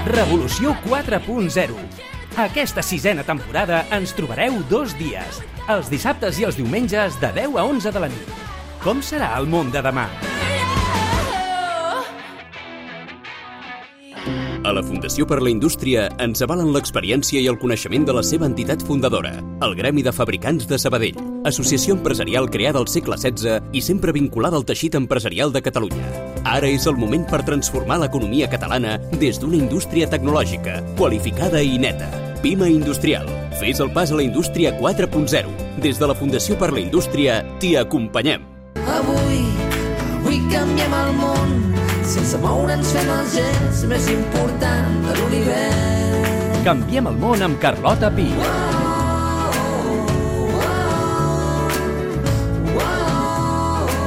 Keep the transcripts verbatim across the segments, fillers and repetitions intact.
Revolució quatre punt zero. Aquesta sisena temporada ens trobareu dos dies, els dissabtes i els diumenges de deu a onze de la nit. Com serà el món de demà? A la Fundació per la Indústria ens avalen l'experiència i el coneixement de la seva entitat fundadora, el Gremi de Fabricants de Sabadell, associació empresarial creada al segle setze i sempre vinculada al teixit empresarial de Catalunya. Ara és el moment per transformar l'economia catalana des d'una indústria tecnològica, qualificada i neta. Pima Industrial. Fes el pas a la indústria quatre punt zero. Des de la Fundació per la Indústria t'hi acompanyem. Avui, avui canviem el món. Sense moure'ns fem el gest més important de l'univers. Canviem el món amb Carlota Pi.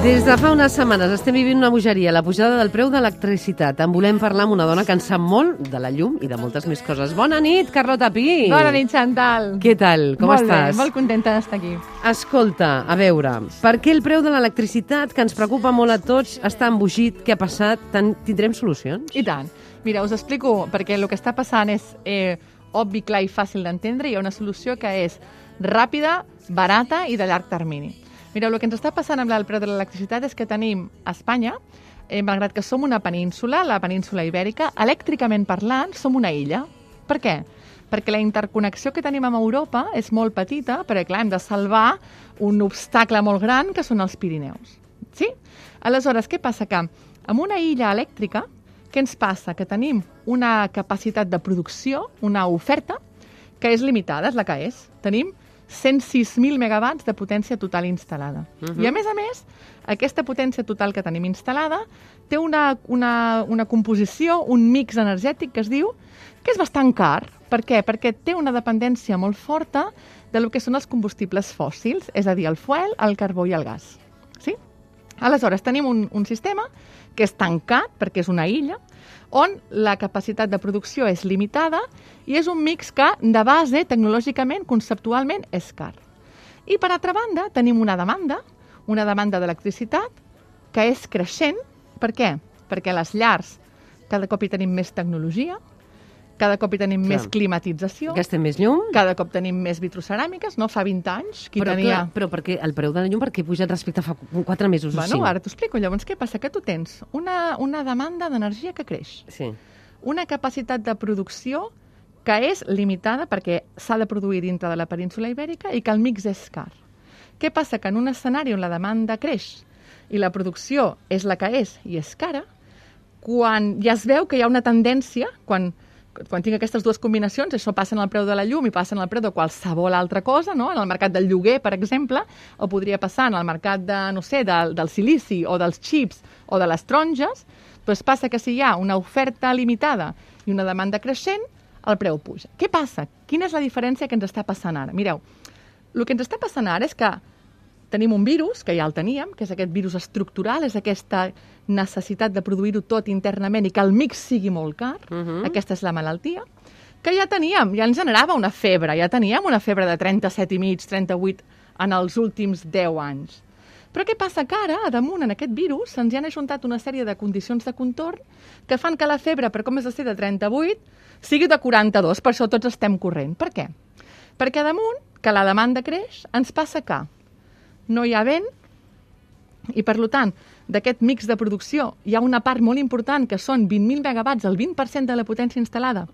Des de fa unes setmanes estem vivint una bogeria, la pujada del preu de l'electricitat. En volem parlar amb una dona que en sap molt de la llum i de moltes més coses. Bona nit, Carlota Pi! Bona nit, Chantal! Què tal? Com molt estàs? Bé, molt contenta d'estar aquí. Escolta, a veure, per què el preu de l'electricitat, que ens preocupa molt a tots, està embogit? Què ha passat? Tindrem solucions? I tant. Mira, us explico, perquè el que està passant és eh, obvi, clar i fàcil d'entendre. Hi ha una solució que és ràpida, barata i de llarg termini. Mireu, el que ens està passant amb el preu de l'electricitat és que tenim a Espanya, eh, malgrat que som una península, la península ibèrica, elèctricament parlant, som una illa. Per què? Perquè la interconnexió que tenim amb Europa és molt petita, perquè, clar, hem de salvar un obstacle molt gran, que són els Pirineus. Sí? Aleshores, què passa? Que amb una illa elèctrica, què ens passa? Que tenim una capacitat de producció, una oferta, que és limitada, és la que és. Tenim cent sis mil megawatts de potència total instal·lada. Uh-huh. I, a més a més, aquesta potència total que tenim instal·lada té una, una, una composició, un mix energètic que es diu que és bastant car. Per què? Perquè té una dependència molt forta del que són els combustibles fòssils, és a dir, el fuel, el carbó i el gas. Sí? Aleshores, tenim un, un sistema que és tancat, perquè és una illa, on la capacitat de producció és limitada i és un mix que, de base, tecnològicament, conceptualment, és car. I, per altra banda, tenim una demanda, una demanda d'electricitat, que és creixent. Per què? Perquè a les llars cada cop hi tenim més tecnologia, cada cop hi tenim clar. Més climatització, gastem més llum, cada cop tenim més vitroceràmiques, no? Fa vint anys, qui però, tenia... Clar, però perquè el preu de la llum, per què ha pujat respecte a fa quatre mesos bueno, o cinc? Ara t'ho explico. Llavors, què passa? Que tu tens una, una demanda d'energia que creix, sí. Una capacitat de producció que és limitada perquè s'ha de produir dintre de la península ibèrica i que el mix és car. Què passa? Que en un escenari on la demanda creix i la producció és la que és i és cara, quan ja es veu que hi ha una tendència, quan quan tinc aquestes dues combinacions, això passa en el preu de la llum i passa en el preu de qualsevol altra cosa, no? En el mercat del lloguer, per exemple, o podria passar en el mercat de, no sé, del, del silici o dels xips o de les taronges, doncs passa que si hi ha una oferta limitada i una demanda creixent, el preu puja. Què passa? Quina és la diferència que ens està passant ara? Mireu, el que ens està passant ara és que tenim un virus, que ja el teníem, que és aquest virus estructural, és aquesta necessitat de produir-ho tot internament i que el mix sigui molt car, uh-huh. Aquesta és la malaltia, que ja teníem, ja ens generava una febre, ja teníem una febre de trenta-set i mig, trenta-vuit en els últims deu anys. Però què passa? Que ara, a damunt, en aquest virus, se'ns hi han ajuntat una sèrie de condicions de contorn que fan que la febre, per com és de ser de trenta-vuit, sigui de quaranta-dos, per això tots estem corrent. Per què? Perquè a damunt, que la demanda creix, ens passa que no hi ha vent i, per tant, d'aquest mix de producció hi ha una part molt important que són vint mil megawatts, el vint per cent de la potència instal·lada,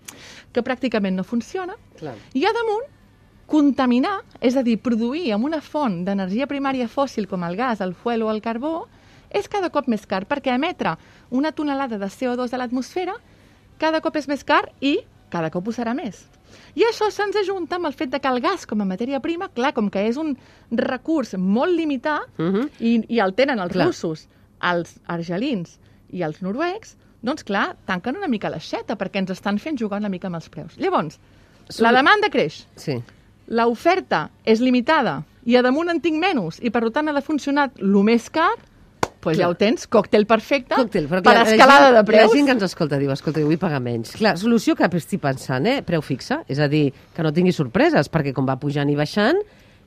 que pràcticament no funciona. Clar. I a damunt, contaminar, és a dir, produir amb una font d'energia primària fòssil com el gas, el fuel o el carbó, és cada cop més car, perquè emetre una tonelada de C O dos a l'atmosfera cada cop és més car i cada cop ho serà més. I això se'ns ajunta amb el fet de que el gas com a matèria prima, clar, com que és un recurs molt limitat, uh-huh. i, i el tenen els clar. russos, els argelins i els noruecs, doncs clar, tanquen una mica l'aixeta perquè ens estan fent jugar una mica amb els preus. Llavors, Som... la demanda creix, sí. L'oferta és limitada i a damunt en tinc menys i per tant ha de funcionar el més car, doncs ja ho tens, còctel perfecte còctel, però, per clar, escalada gent, de preus. La gent que ens escolta diu, escolta, jo vull pagar menys. Clar, solució que estic pensant, eh? Preu fixe, és a dir, que no tingui sorpreses, perquè com va pujant i baixant,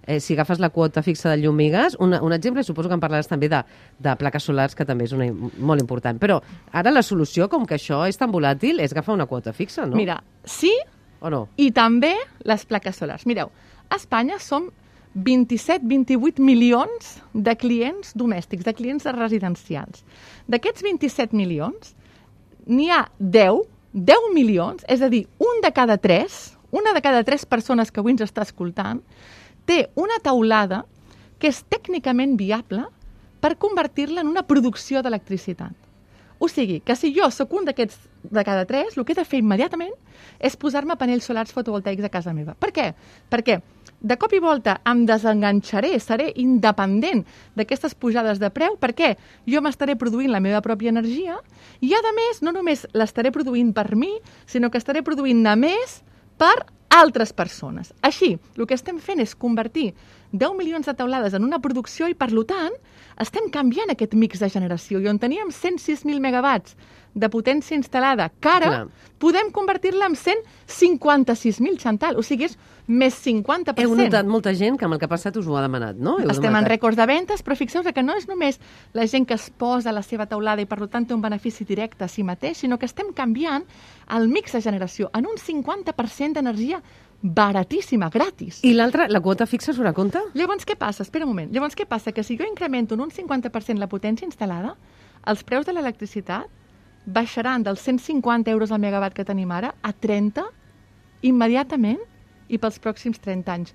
eh, si agafes la quota fixa de llum i gas, un, un exemple, suposo que en parlaràs també de, de plaques solars, que també és una, molt important. Però ara la solució, com que això és tan volàtil, és agafar una quota fixa, no? Mira, sí o no? I també les plaques solars. Mireu, a Espanya som vint-i-set vint-i-vuit milions de clients domèstics, de clients residencials. D'aquests vint-i-set milions, n'hi ha deu, deu milions, és a dir, un de cada tres, una de cada tres persones que avui ens està escoltant, té una teulada que és tècnicament viable per convertir-la en una producció d'electricitat. O sigui, que si jo sóc un d'aquests de cada tres, el que he de fer immediatament és posar-me panells solars fotovoltaics a casa meva. Per què? Perquè de cop i volta em desenganxaré, seré independent d'aquestes pujades de preu, perquè jo m'estaré produint la meva pròpia energia i, a més, no només l'estaré produint per mi, sinó que estaré produint a més per altres persones. Així, el que estem fent és convertir deu milions de teulades en una producció i, per tant, estem canviant aquest mix de generació. I on teníem cent sis mil megawatts de potència instal·lada, que ara Clar. podem convertir-la en cent cinquanta-sis mil, Chantal. O sigui, és més cinquanta per cent. Heu notat molta gent que amb el que ha passat us ho ha demanat, no? Heu Estem en demanat. rècords de ventes, però fixeu-vos que no és només la gent que es posa la seva teulada i, per tant, té un benefici directe a si mateix, sinó que estem canviant el mix de generació en un cinquanta per cent d'energia baratíssima, gratis. I l'altra, la quota fixa s'ho compte? Llavors, què passa? Espera un moment. Llavors, què passa? Que si jo incremento en un cinquanta per cent la potència instal·lada, els preus de l'electricitat baixaran dels cent cinquanta euros al megawatt que tenim ara a trenta immediatament i pels pròxims trenta anys.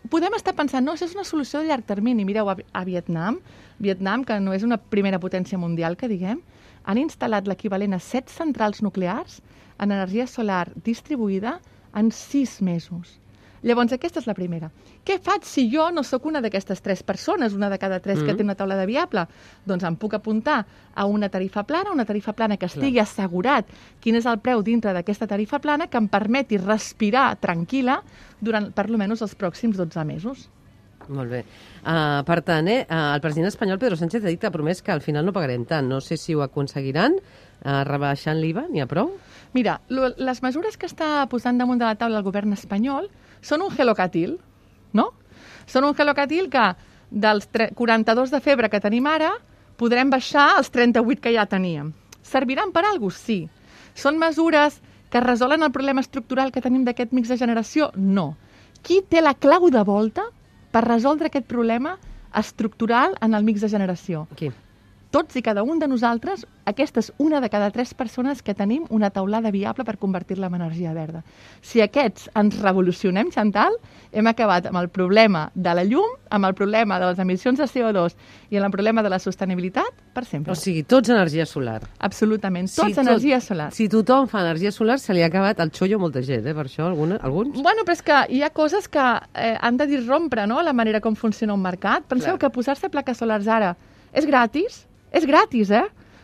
Podem estar pensant, no, això és una solució de llarg termini. Mireu, a, a Vietnam, Vietnam, que no és una primera potència mundial, que diguem, han instal·lat l'equivalent a set centrals nuclears en energia solar distribuïda en sis mesos. Llavors, aquesta és la primera. Què faig si jo no sóc una d'aquestes tres persones, una de cada tres mm. que té una taula de viable? Doncs em puc apuntar a una tarifa plana, una tarifa plana que estigui Clar. assegurat quin és el preu dintre d'aquesta tarifa plana que em permeti respirar tranquil·la durant, per almenys, els pròxims dotze mesos. Molt bé. Uh, per tant, eh, uh, el president espanyol, Pedro Sánchez, ha dit que ha promès que al final no pagarem tant. No sé si ho aconseguiran, uh, rebaixant l'I V A, n'hi ha prou? Mira, lo, les mesures que està posant damunt de la taula el govern espanyol són un gelocatil, no? Són un gelocatil que dels quaranta-dos de febre que tenim ara podrem baixar als trenta-vuit que ja teníem. Serviran per alguna cosa? Sí. Són mesures que resolen el problema estructural que tenim d'aquest mix de generació? No. Qui té la clau de volta per resoldre aquest problema estructural en el mix de generació? Qui? Tots i cada un de nosaltres, aquesta és una de cada tres persones que tenim una teulada viable per convertir-la en energia verda. Si aquests ens revolucionem, Chantal, hem acabat amb el problema de la llum, amb el problema de les emissions de C O dos i amb el problema de la sostenibilitat per sempre. O sigui, tots energia solar. Absolutament, tots si energia tot, solar. Si tothom fa energia solar, se li ha acabat el xollo a molta gent, eh? Per això, alguna, alguns... Bueno, però és que hi ha coses que eh, han de disrompre, no?, la manera com funciona un mercat. Penseu Clar. que posar-se plaques solars ara és gratis? És gratis, eh?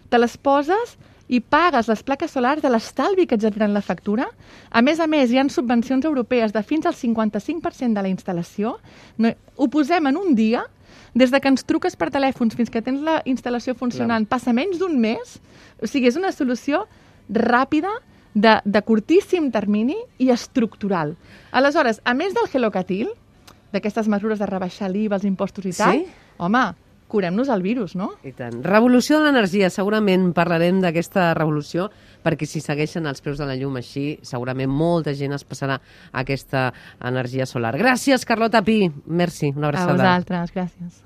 Te les poses i pagues les plaques solars de l'estalvi que et generen la factura. A més a més, hi ha subvencions europees de fins al cinquanta-cinc per cent de la instal·lació. No, ho posem en un dia, des de que ens truques per telèfons fins que tens la instal·lació funcionant, Clar. passa menys d'un mes. O sigui, és una solució ràpida, de, de curtíssim termini i estructural. Aleshores, a més del gelocatil, d'aquestes mesures de rebaixar l'I V A, els impostos i tal, Sí? home, curem-nos el virus, no? I tant. Revolució de l'energia. Segurament parlarem d'aquesta revolució perquè si segueixen els preus de la llum així, segurament molta gent es passarà a aquesta energia solar. Gràcies, Carlota Pi. Merci. Una abraçada. A vosaltres, gràcies.